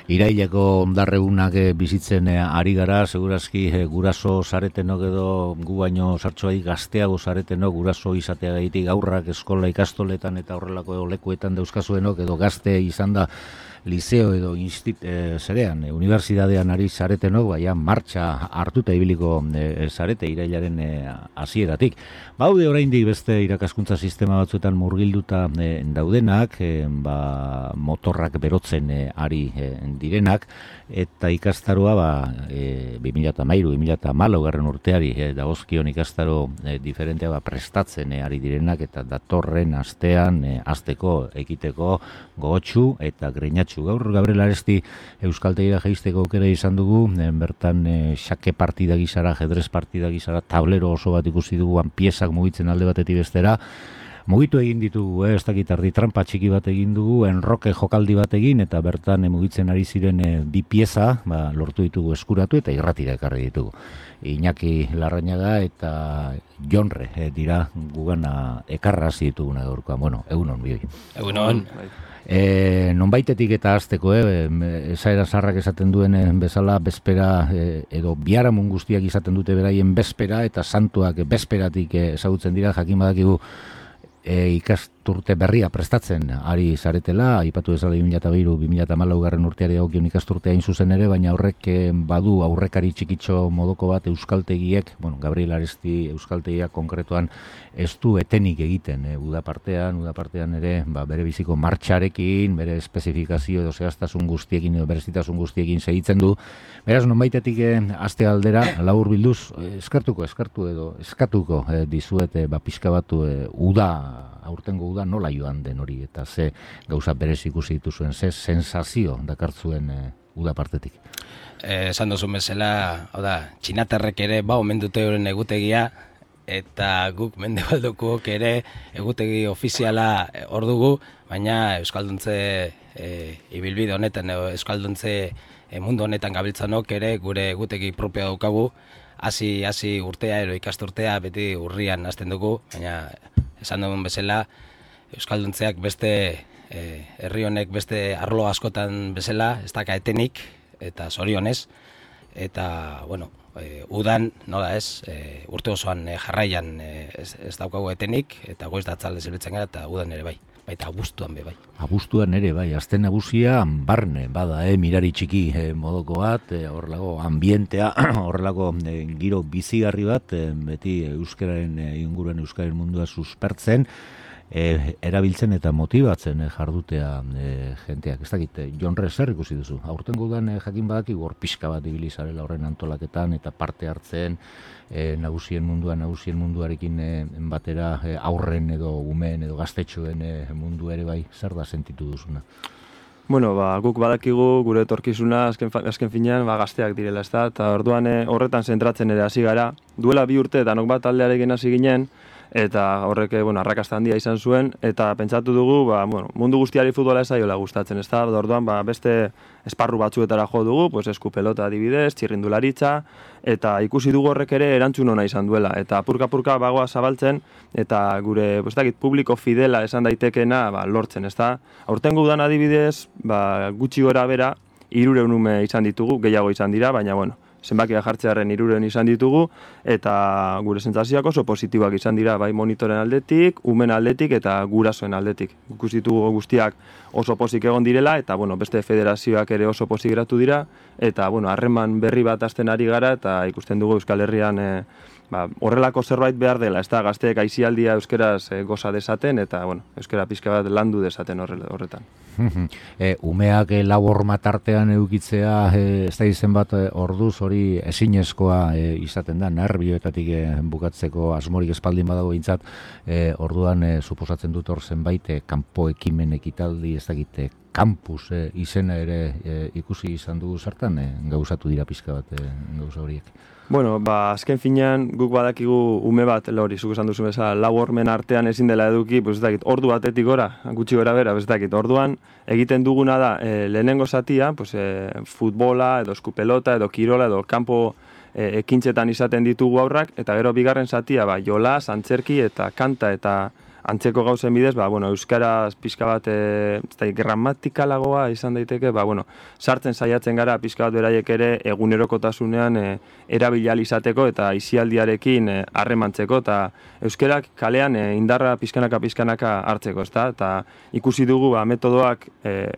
Iraileko ondarregunak bizitzen ari gara, segurazki guraso zaretenok edo gu baino sartxoai gazteago zaretenok guraso izateagaitik aurrak eskola ikastoletan eta horrelako lekuetan dauzkazuenok edo gazte izan da liceo edo unibertsitatean ari zaretenok, baina martxa hartuta ibiliko zarete irailaren hasieratik. Baude oraindik beste irakaskuntza sistema batzuetan murgilduta daudenak, motorrak berotzen ari direnak, eta ikastaroa 2013-2014 urteari dagozkion ikastaro diferentea prestatzen ari direnak, eta datorren astean hasteko ekiteko gogotsu eta greinatxu. Gaur Gabriel Aresti euskaltegira jaisteko aukera izan dugu, bertan xake partida gizara, ajedrez partida gizara, tablero oso bat ikusi dugu, piezak mugitzen alde batetik bestera, mugitu egin ditugu, ez dakit ardi trampa txiki bat egin dugu, enroke jokaldi bat egin, eta bertan mugitzen ari ziren bi pieza, lortu ditugu eskuratu eta irratira ekarri ditugu. Iñaki Larrañaga eta Jonre dira gugana ekarrazi dituguna gaurkoan. Bueno, egunon bioi. Egunon. Nonbaitetik eta hasteko, esaera zarrak esaten duen bezala, bespera edo biharamun guztiak izaten dute beraien bespera, eta santuak besperatik ezagutzen dira, jakin badakigu ikasturte berria prestatzen ari zaretela, aipatu ezala 2002-2014 urteari dagokion ikasturtea hain zuzen ere, baina horrek badu aurrekari txikitxo modoko bat euskaltegiek, Gabriel Aresti euskaltegiak konkretuan ez du etenik egiten udapartean ere bere biziko martxarekin, bere espezifikazio edo zehaztasun guztiekin edo berezitasun guztiekin segitzen du. Beraz, nonbaitetik aste aldera, labur bilduz, eskatuko dizuete pixka batu aurtengo uda nola joan den hori, eta ze gauza berez ikusi dituzuen, ze sensazio dakartzuen uda partetik. Esan duzun bezala, txinatarrek ere omen dute horren egutegia, eta guk mendebaldukook ere egutegi ofiziala hor dugu, baina euskalduntze ibilbide honetan, euskalduntze mundu honetan gabiltzanok ere gure egutegi propioa daukagu, hasi urtea ero ikasturtea beti urrian hasten dugu, baina esan dugun bezala, euskalduntzeak beste herri honek beste arlo askotan bezala, ez daka etenik, eta zorionez, eta, udan, nola ez, urte osoan jarraian ez daukagu etenik, eta goiz datzalde zerbitzen gara, eta udan ere bai, baita abuztuan bai. Abuztuan ere bai, azte nagusia barne, bada, mirari txiki modoko bat, horrelako ambientea, horrelako giro bizigarri bat, beti euskararen inguruan euskararen mundua suspertzen, erabiltzen eta motibatzen jardutea jenteak. Ez dakit, Jonre, zer ikusi duzu? Aurtengo udan jakin badaki gor pixka bat ibili zarela horren antolaketan eta parte hartzen nagusien munduarekin batera aurren edo umeen edo gaztetxoen mundu ere bai, zer da sentitu duzuna? Guk badakigu gure etorkizuna azken finean gazteak direla, ez da? Eta orduan horretan zentratzen ere hasi gara. Duela 2 urte danok bat taldearekin hasi ginen, eta horrek arrakasta handia izan zuen, eta pentsatu dugu, mundu guztiari futbola ez zaiola gustatzen, ez da? Orduan beste esparru batzuetara jo dugu, eskupelota adibidez, txirrindularitza, eta ikusi dugu horrek ere erantzun ona izan duela, eta apurka bagoa zabaltzen, eta gure, publiko fidela esan daitekena lortzen, ez da? Aurtengo udan adibidez, gutxi gora bera, 300 ume izan ditugu, gehiago izan dira, baina zenbakia jartzearen 300 izan ditugu, eta gure sentsazioak oso positiboak izan dira, bai monitoren aldetik, umen aldetik eta gurasoen aldetik. Ikusi ditugu guztiak oso pozik egon direla, eta beste federazioak ere oso pozik geratu dira, eta harreman berri bat hasten ari gara, eta ikusten dugu Euskal Herrian horrelako zerbait behar dela, ez da, gazteek aisialdia euskeraz goza dezaten, eta euskera pixka bat landu dezaten horretan. Umeak lau horma tartean edukitzea, ez da izen bat orduz hori ezinezkoa izaten da, nerbioetatik bukatzeko asmorik espaldin badago bintzat, orduan suposatzen dut hor zenbait kanpo ekimen ekitaldi, ez dakit, kampus izena ere ikusi izan dugu zertan, gauzatu dira pixka bat gauza horiek. Azken finean guk badakigu ume bat, hori zuk esan duzu bezala, lau hormen artean ezin dela eduki, ez dakit, ordu batetik gora, gutxi gora bera, ez dakit, orduan egiten duguna da, lehenengo zatia, futbola, edo eskupelota, edo kirola, edo kanpo ekintzetan izaten ditugu aurrak, eta gero bigarren zatia, jolas, antzerki eta kanta eta antzeko gauzen bidez, euskaraz pixka bat gramatikalagoa izan daiteke, sartzen saiatzen gara pixka bat beraiek ere egunerokotasunean erabili ahal izateko eta aisialdiarekin harremantzeko eta euskarak kalean indarra pixkanaka hartzeko, ezta? Eta ikusi dugu metodoak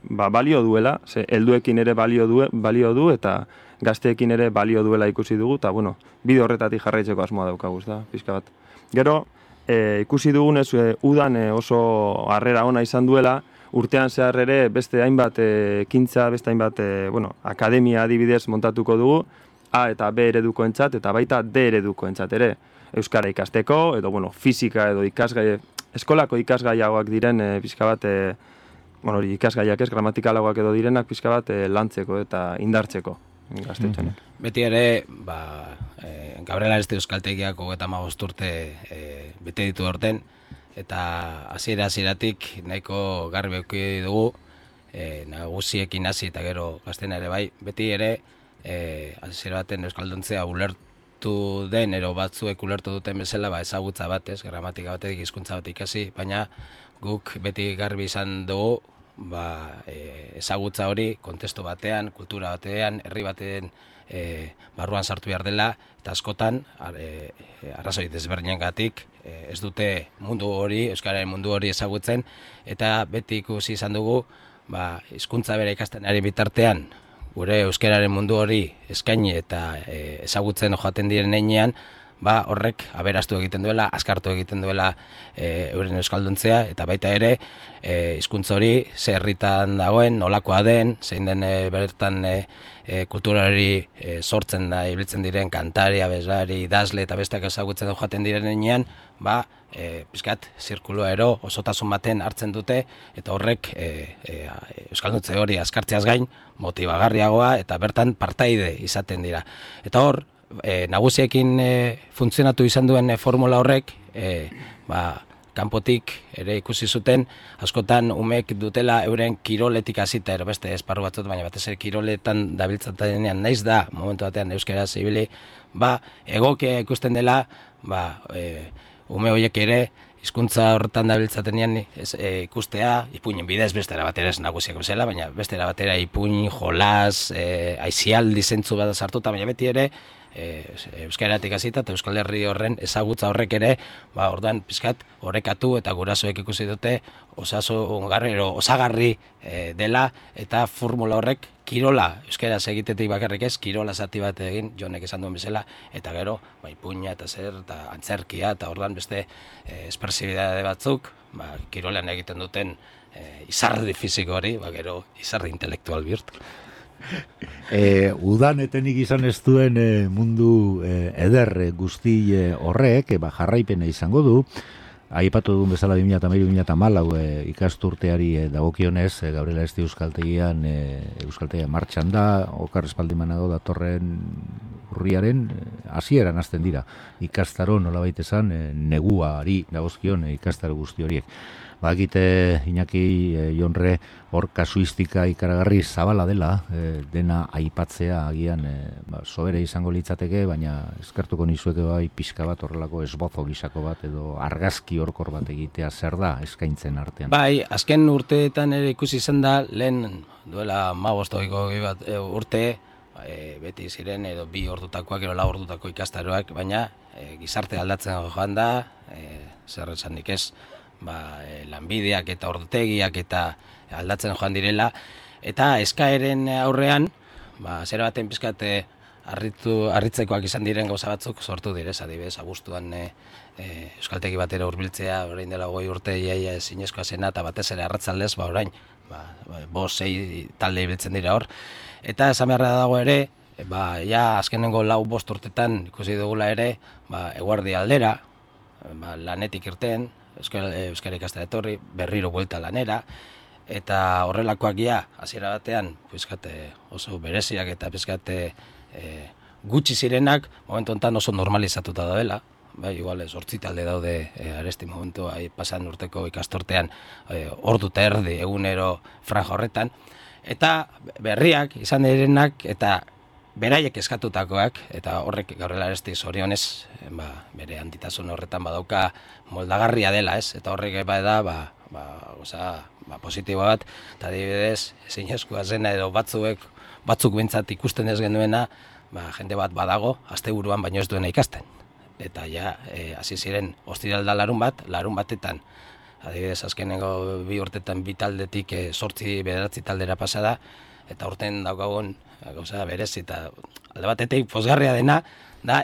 balio duela, helduekin ere balio du eta gazteekin ere balio duela ikusi dugu, eta bide horretatik jarraitzeko asmoa daukagu, da, pixka bat. Gero, ikusi dugunez, udan oso harrera ona izan duela, urtean zehar ere beste hainbat ekintza, beste hainbat akademia adibidez montatuko dugu, A eta B eredukoentzat eta baita D eredukoentzat ere. Euskara ikasteko, edo fisika edo eskolako ikasgaiagoak diren pixka bat, ikasgaiak ez, gramatikalagoak edo direnak pixka bat lantzeko eta indartzeko. Beti ere, Gabriela Aresti Euskaltegiak 35 urte bete ditu orten, eta hasieratik nahiko garbi eduki dugu, nagusiekin hasi eta gero gaztena ere bai, beti ere hasiera baten euskalduntzea ulertu den, ero batzuek ulertu duten bezala, ezagutza batez, gramatika batetik, hizkuntza bat ikasi, baina guk beti garbi izan dugu, ezagutza hori kontestu batean, kultura batean, herri batean barruan sartu behar dela, eta askotan arrazoi desberdinengatik ez dute mundu hori, euskararen mundu hori ezagutzen, eta beti ikusi izan dugu hizkuntza bere ikasten ari bitartean gure euskararen mundu hori eskaini eta ezagutzen joaten diren heinean, horrek aberastu egiten duela, askartu egiten duela euren euskalduntzea, eta baita ere hizkuntza hori ze herritan dagoen, nolakoa den, zein den bertan kulturari sortzen da, ibiltzen diren kantari, abeslari, idazle eta besteak ezagutzen joaten diren heinean, pizkat zirkulua ero osotasun baten hartzen dute, eta horrek euskalduntze hori askartzeaz gain motibagarriagoa eta bertan partaide izaten dira. Eta hor, nagusiekin funtzionatu izan duen formula horrek, kanpotik ere ikusi zuten, askotan umek dutela euren kiroletik hasita, beste esparru batzut, baina batez ere kiroletan dabiltzatenean naiz da, momentu batean euskaraz ibili, egokia ikusten dela, ume horiek ere, hizkuntza horretan dabiltzatenean ikustea, ipuinen bidez bestera batera ez nagusiak bezala, baina bestera batera ipuin, jolas, aizialdi zentzu bat sartuta, baina beti ere, euskaratik hasita eta Euskal Herri horren ezagutza horrek ere, orduan pizkat orekatu eta gurasoek ikusi dute osagarri dela, eta formula horrek kirola, euskaraz egitetik bakarrik ez, kirola zati bat egin, Jonek esan duen bezala, eta gero, ipuina eta zer, eta antzerkia, eta orduan beste espresibidade batzuk, kirolean egiten duten izardi fisiko hori, gero izardi intelektual bihurtu. Udan etenik izan ez duen mundu eder guzti horrek jarraipena izango du. Aipatu dugun bezala 2013-2014 ikasturteari dagokionez, Gabriela Aresti Euskaltegian martxan da, okar espaldimanago datorren urriaren hasieran hasten dira. Ikastaro nolabait esan neguari dagozkion ikastaro guzti horiek. Bakite Iñaki Jonre hor kasuistika ikaragarri zabala dela, dena aipatzea agian sobera izango litzateke, baina eskertuko nizueke pixka bat horrelako esbozo gisako bat edo argazki horkor bat egitea zer da eskaintzen artean. Azken urteetan ere ikusi izan da, lehen duela 15 urte, beti ziren edo 2 ordutakoak edo 4 ordutako ikastaroak, baina gizarte aldatzen joan da, zer esanik ez, lanbideak eta ordutegiak eta aldatzen joan direla, eta eskaeren aurrean, zera baten pizkat harritzekoak izan diren gauza batzuk sortu direz, adibidez, abuztuan euskaltegi batera hurbiltzea, orain dela 20 urte iaia ezinezkoa zena, eta batez ere arratzaldez, orain, 5-6 talde ibiltzen dira hor, eta esan beharra dago ere, azkenengo 4-5 urtetan ikusi dugula ere, eguerdi aldera, lanetik irten, euskara ikastera etorri, berriro buelta lanera, eta horrelakoak hasiera batean oso bereziak eta gutxi zirenak, momentu honetan oso normalizatuta daudela, igual 8 talde daude Aresti momentu pasan urteko ikastortean ordu eta egunero franja horretan, eta berriak izan direnak eta beraiek eskatutakoak, eta horrek gaurrela aresti zorionez, bere antitasun horretan badauka moldagarria dela, ez? Eta horrek da, positibo bat, eta adibidez, zinezkoa zena edo batzuk bintzat ikusten ez genuena, jende bat badago, asteburuan baino ez duena ikasten. Eta ja, hasi ziren ostiralda larun batetan, adibidez, azkenengo 2 urtetan 2 taldetik 8-9 taldera pasada, eta urten daukagun gauza berezi, eta alde batetik pozgarria dena, da,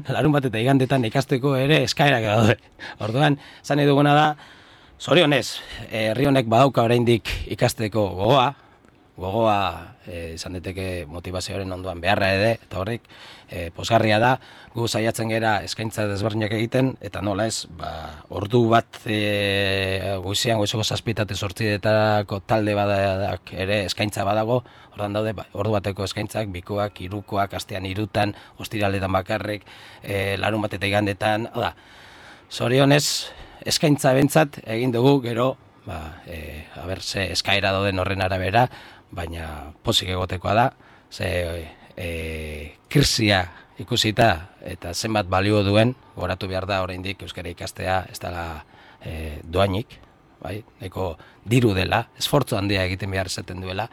larun bat eta igandetan ikasteko ere eskaerak daude. Orduan, zan nahi duguna da, zorionez, herri honek badauka oraindik ikasteko gogoa izan daiteke motivazioaren ondoan beharra ere, eta horrek pozgarria da, gu saiatzen gera eskaintza desberdinak egiten, eta nola ez, ordu bat goizean, goizeko 7-8 talde badak ere eskaintza badago, ordan daude ordu bateko eskaintzak, 2koak, 3koak, astean 3tan, ostiraletan bakarrik, larun bat eta igandetan, zorionez, eskaintza bentsat egin dugu gero, ze eskaera dauden horren arabera, baina pozik egotekoa da, krisia ikusita eta zenbat balio duen, goratu behar da oraindik euskara ikastea ez dela doainik, nahiko diru dela, esfortzu handia egiten behar izaten duela,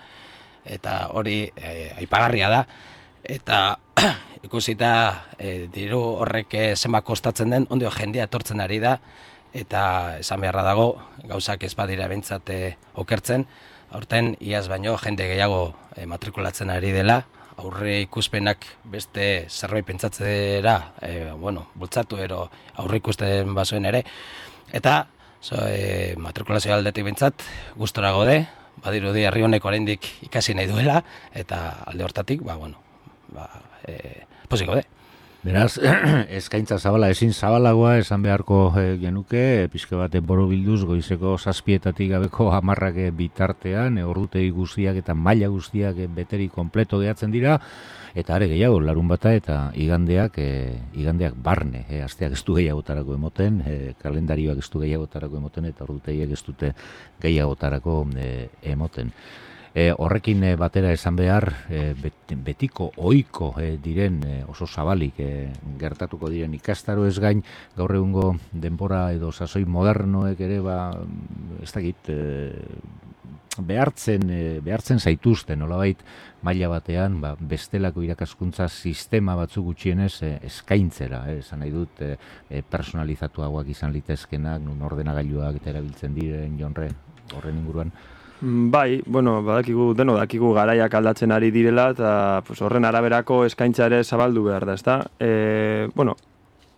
eta hori aipagarria da, eta ikusita diru horrek zenbat kostatzen den, ondio jendea etortzen ari da, eta esan beharra dago, gauzak ez badira bentsat okertzen, aurten iaz baino jende gehiago matrikulatzen ari dela, aurre ikuspenak beste zerbait pentsatzera, bultzatu ero aurre ikusten bazuen ere, eta matrikulazio aldetik bentsat gustora gaude, badirudi herri honek oraindik ikasi nahi duela, eta alde hortatik, pozik gaude. Beraz, eskaintza zabala, ezin zabalagoa esan beharko genuke, pixka bat borobilduz goizeko 7 gabeko 10 bitartean, ordutegi guztiak eta maila guztiak beteri kompleto gehatzen dira, eta are gehiago, larun bata eta igandeak barne, asteak ez du gehiagotarako emoten, kalendarioak ez du gehiagotarako emoten, eta ordutegiak ez dute gehiagotarako emoten. Horrekin batera esan behar, betiko ohiko diren oso zabalik gertatuko diren ikastaro ez gain, gaur egungo denbora edo sasoi modernoek ere ez dakit behartzen zaituzten, nolabait maila batean bestelako irakaskuntza sistema batzuk gutxienez eskaintzera, esan nahi dut personalizatuagoak izan litezkenak, nun ordenagailuak eta erabiltzen diren jonre horren inguruan. Bai, dakigu garaiak aldatzen ari direla, eta horren araberako eskaintza ere zabaldu behar da, ezta?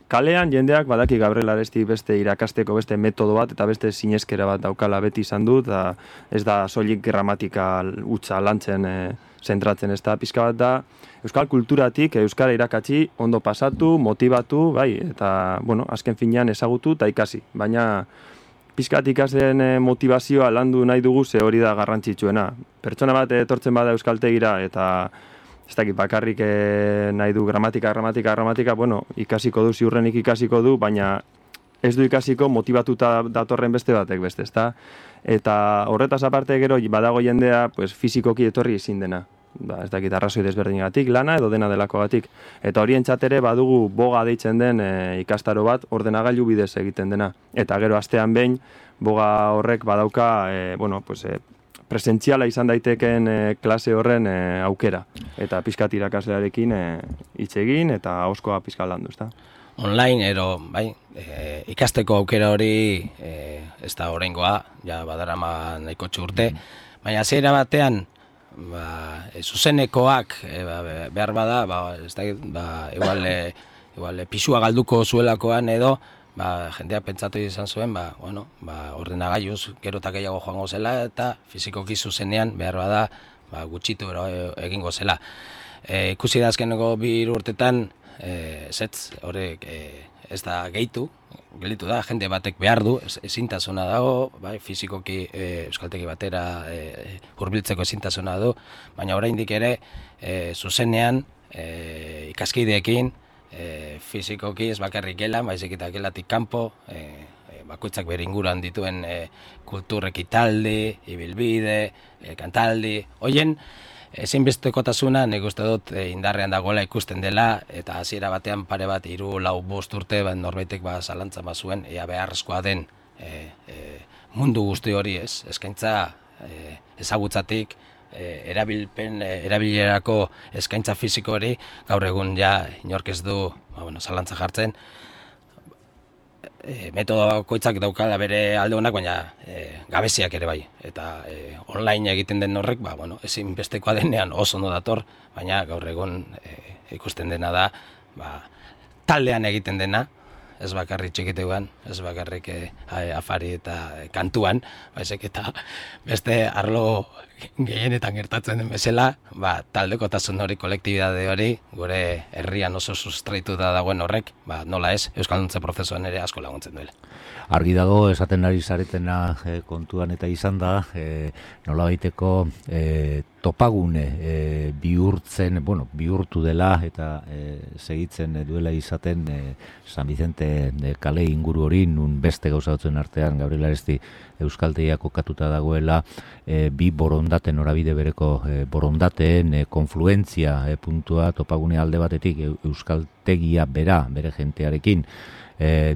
Kalean jendeak badaki Gabriel Aresti beste irakasteko beste metodo bat eta beste sineskera bat daukala beti izan dut, eta ez da soilik gramatika hutsa lantzen zentratzen, ez da, pixka bat da, euskal kulturatik euskara irakatsi, ondo pasatu, motibatu, bai, eta, azken finean ezagutu eta ikasi, baina pizkat ikasleen motivazioa landu nahi dugu, ze hori da garrantzitsuena. Pertsona bat etortzen bada euskaltegira eta ez dakit bakarrik nahi du gramatika, ikasiko du, ziurrenik ikasiko du, baina ez du ikasiko motibatuta datorren beste batek beste, ezta? Eta horretaz aparte gero badago jendea fizikoki etorri ezin dena. Ez dakit arrazoi desberdinagatik, lana edo dena delakogatik. Eta horientzat ere badugu boga deitzen den ikastaro bat ordenagailu bidez egiten dena. Eta gero astean behin boga horrek badauka presentziala izan daiteken klase horren aukera. Eta pizkat irakaslearekin hitz egin eta ahoskoa pizkat landu, ezta? Online ikasteko aukera hori ez da oraingoa, ja badarama nahiko urte, baina hasiera batean zuzenekoak behar bada, igual pisua galduko zuelakoan edo, jendeak pentsatu izan zuen, ordenagailuz gero eta gehiago joango zela eta fizikoki zuzenean behar bada gutxitu egingo zela. Ikusi da azkeneko 2 urtetan, horrek ez da gehitu, gelditu da, jende batek behar du, ezintasuna dago, fizikoki euskaltegi batera hurbiltzeko ezintasuna du, baina oraindik ere zuzenean ikaskideekin fizikoki ez bakarrik gelan, baizik eta gelatik kanpo, bakoitzak bere inguruan dituen kultur ekitaldi, ibilbide, kantaldi, hoien ezinbestekotasuna nik uste dut indarrean dagoela ikusten dela, eta hasiera batean pare bat 3-4 urte norbaitek zalantza bazuen ea beharrezkoa den mundu guzti hori eskaintza ezagutzatik, erabilerako eskaintza fisiko hori, gaur egun ja inork ez du zalantza jartzen. Metodo bakoitzak daukala bere alde honak, baina gabeziak ere bai. Eta online egiten den horrek, ezinbestekoa denean oso ondo dator, baina gaur egun ikusten dena da, taldean egiten dena, ez bakarrik txikiteuan, ez bakarrik afari eta kantuan, baizik eta beste arlo gehienetan gertatzen den bezala, taldekotasun hori, kolektibidade hori, gure herrian oso sustraituta dagoen horrek, nola ez, euskalduntze prozesuan ere asko laguntzen duela. Argi dago, esaten ari zaretena kontuan eta izan da, nolabaiteko topagune bihurtu dela eta segitzen duela izaten San Vicente kale inguru hori, nun beste gauza batzuen artean Gabriel Aresti euskaltegia kokatuta dagoela, bi borondate norabide bereko borondateen konfluentzia puntua topagune alde batetik euskaltegia bere jentearekin,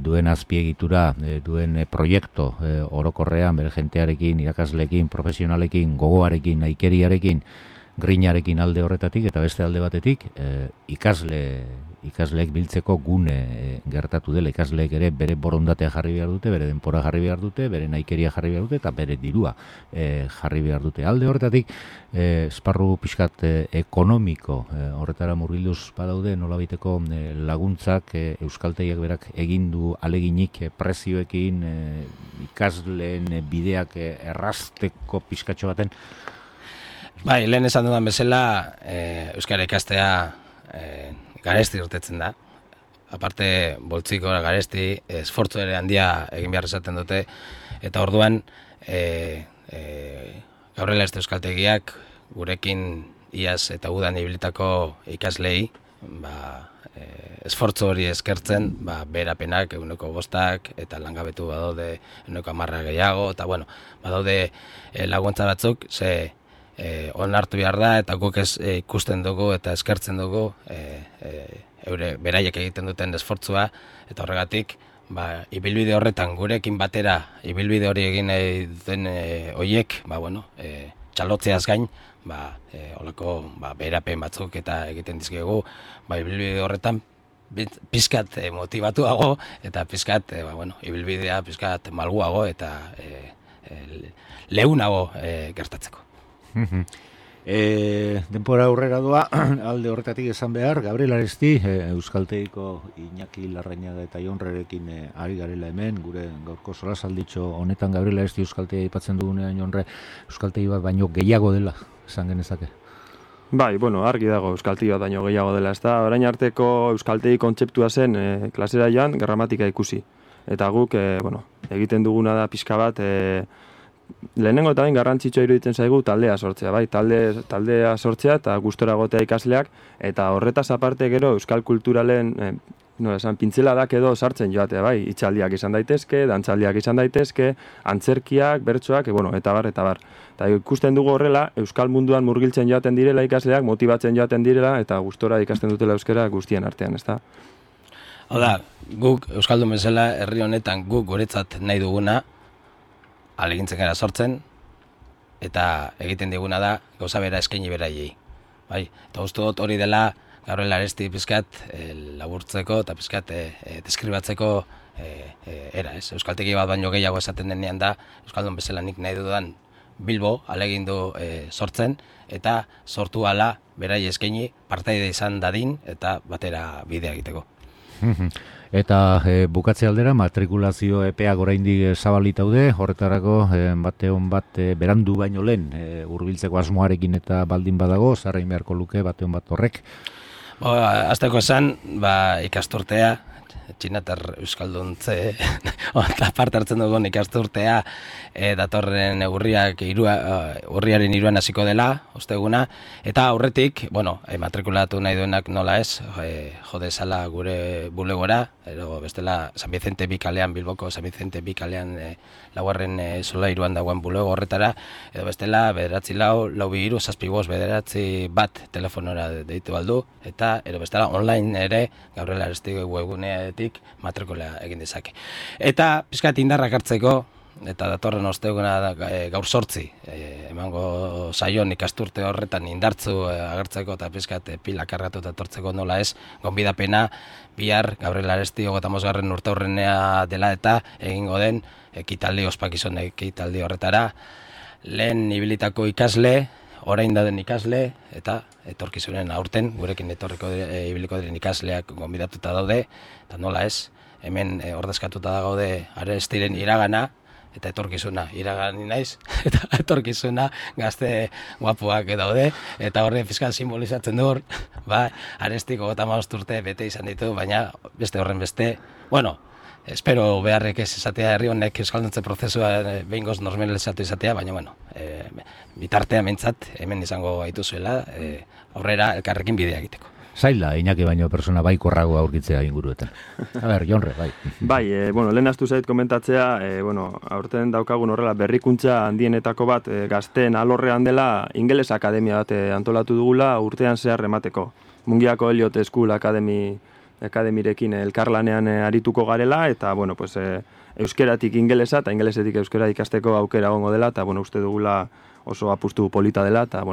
duen azpiegitura, duen proiektu orokorrean bere jentearekin, irakasleekin, profesionalekin, gogoarekin, naikeriarekin, grinarekin alde horretatik, eta beste alde batetik ikasleek biltzeko gune gertatu dela. Ikasleek ere bere borondatea jarri behar dute, bere denpora jarri behar dute, bere naikeria jarri behar dute, eta bere dirua jarri behar dute. Alde horretatik, esparru pixkat ekonomiko horretara murgilduz badaude, nolabiteko laguntzak euskaltegiak berak egindu aleginik prezioekin ikasleen bideak errazteko pixkatxo baten. Bai, lehen esan dudan bezala, euskara ikastea garesti urtetzen da. Aparte, boltziko garesti, esfortzu ere handia egin behar esaten dute, eta orduan, Gabriel Aresti euskaltegiak gurekin iaz eta udan ibilitako ikaslei, esfortzu hori eskertzen, beherapenak 5% eta langabetu badaude 10% gehiago, eta badaude laguntza batzuk, onartu behar da, eta guk ikusten dugu eta eskertzen dugu beraiek egiten duten esfortzua, eta horregatik, ibilbide horretan gurekin batera, ibilbide hori egin duten horiek, txalotzeaz gain, holako beherapen batzuk eta egiten dizkigu, ibilbide horretan pizkat motivatuago, eta pizkat, ibilbidea pizkat malguago eta leunago gertatzeko. Denpora aurrera doa, alde horretatik esan behar, Gabriel Aresti, euskaltegiko Iñaki Larrañaga eta Jonrerekin ari garela hemen, gure gaurko solasalditxo honetan Gabriel Aresti euskaltegia aipatzen dugunean Jonre, euskaltegi bat baino gehiago dela, esan genezake. Bai, argi dago euskaltegi bat baino gehiago dela, ez da, orain arteko euskaltegi kontzeptua zen klasera joan gramatika ikusi. Eta guk, egiten duguna da pixka bat, lehenengo eta bain garrantzitsua iruditzen zaigu taldea sortzea, bai, taldea sortzea eta gustora egotea ikasleak, eta horretaz aparte gero euskal kulturalen pintzeladak edo sartzen joatea, bai, hitzaldiak izan daitezke, dantzaldiak izan daitezke, antzerkiak, bertsoak, eta bar. Eta ikusten dugu horrela, euskal munduan murgiltzen joaten direla ikasleak, motibatzen joaten direla, eta gustora ikasten dutela euskara guztien artean, ezta? Hau da, guk euskaldun bezala herri honetan guk guretzat nahi duguna, alegintzen gara sortzen, eta egiten diguna da gauza bera eskaini beraiei. Bai, eta uste dut hori dela Gabriel Aresti pizkat laburtzeko eta pizkat deskribatzeko era, ez? Euskaltegi bat baino gehiago esaten denean da, euskaldun bezala nik nahi dudan Bilbo alegindu sortzen, eta sortu ala berai eskaini partaide izan dadin eta batera bidea egiteko. Eta bukatze aldera, matrikulazio epeak oraindik zabalitaude, horretarako bateon bat berandu baino lehen hurbiltzeko asmoarekin eta baldin badago, zarrein beharko luke bateon bat horrek. Azteko esan, ikasturtea txinatar euskalduntze parte hartzen dugun ikasturtea datorren urriaren 3 hasiko dela, osteguna, eta aurretik, matrikulatu nahi duenak nola ez, jodezala gure bulegora, edo bestela San Vicente Bikalean, Bilboko San Vicente Bikalean laugarren solairuan dagoen bulego horretara, edo bestela 942-627 telefonora deitu baldu, eta edo bestela online ere Gabriel Arestigo webguneatik matrikula egin dezake. Eta pizkat indarrak hartzeko, eta datorren osteguna gaur 8 emango saion ikasturte horretan indartzu agertzeko eta pizkat pila kargatuta etortzeko nola ez, gonbidapena bihar Gabriel Arestigo 35. urteurrenea dela eta egingo den ekitaldi, ospakizun ekitaldi horretara, lehen ibilitako ikasle, orain dauden ikasle, eta etorkizunen aurten, gurekin ibiliko diren ikasleak gonbidatuta daude, eta nola ez, hemen ordezkatuta da gaude Arestiren iragana, eta etorkizuna, iragani naiz, eta etorkizuna gazte guapuak daude, eta horre fiskal simbolizatzen du, Arestiko 35 urte bete izan ditu, baina beste horren beste, espero beharrek ez izatea herri honek euskalduntze prozesua behingoz normalizatu izatea, baina bitartea mentzat hemen izango gaituzuela, aurrera elkarrekin bidea egiteko. Zaila, Iñaki baino persona baikorrago aurkitzea inguruetan. A ber, Jonre, bai. Bai, lehen astu zait komentatzea, aurten daukagun horrela berrikuntza handienetako bat gazteen alorrean dela Ingeles Akademia bat antolatu dugula urtean zehar emateko. Mungiako Elliot School Akademirekin elkarlanean arituko garela, eta, euskeratik ingelesa eta ingelesetik euskera ikasteko aukera egongo dela, eta, uste dugula oso apustu polita dela, eta,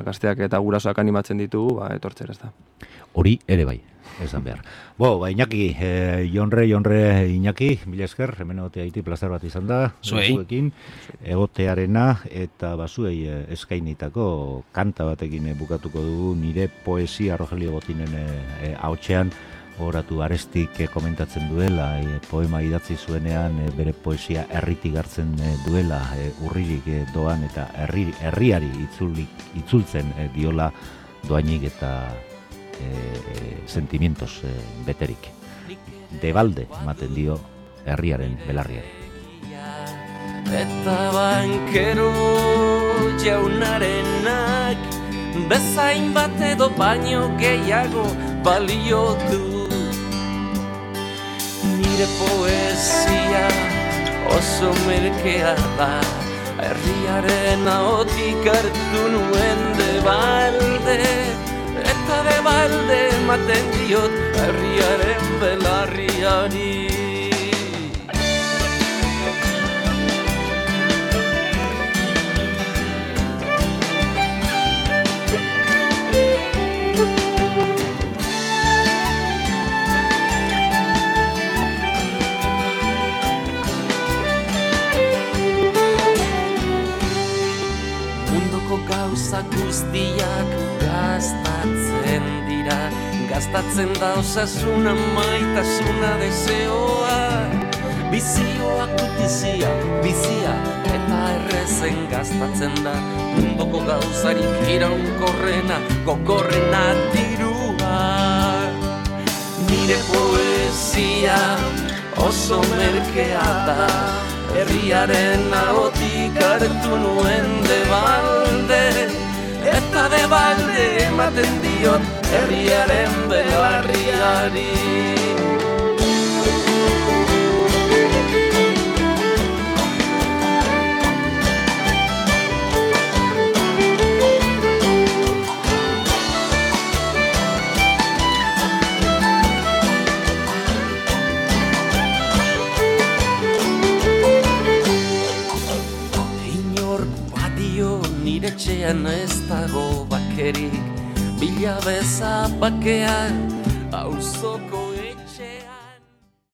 gazteak eta gurasoak animatzen ditugu, etortzera ez da. Hori ere bai, esan behar. Iñaki, Jonre, Iñaki, mila esker, hemen egotea iti plazer bat izan da, zuekin, egotearena, eta zuei eskainitako kanta batekin bukatuko dugu nire poesia Rogelio Botinen ahotsean, horatu Arestik komentatzen duela, poema idatzi zuenean bere poesia herritik hartzen duela, urririk doan eta herriari itzultzen diola doainik eta sentimientos beterik. Debalde ematen dio herriaren belarriari. Eta bankero jaunarenak bezain bat edo baino gehiago balio du. Nire poesia oso merkea da, herriaren ahotik hartu nuen debalde, eta debalde ematen diot herriaren belarriari. Gauza guztiak gastatzen dira, gastatzen da osasuna, maitasuna, deseoa, bizioak gutizia, bizia eta errezen gastatzen da, mundoko gauzarik iraunkorrena, gogorrena dirua. Nire poesia oso merkea da, herriaren ahotik hartu nuen debalde, eta debalde ematen diot herriaren belarriari. Etxean ez dago bakerik, bila beza bakean, auzoko etxean.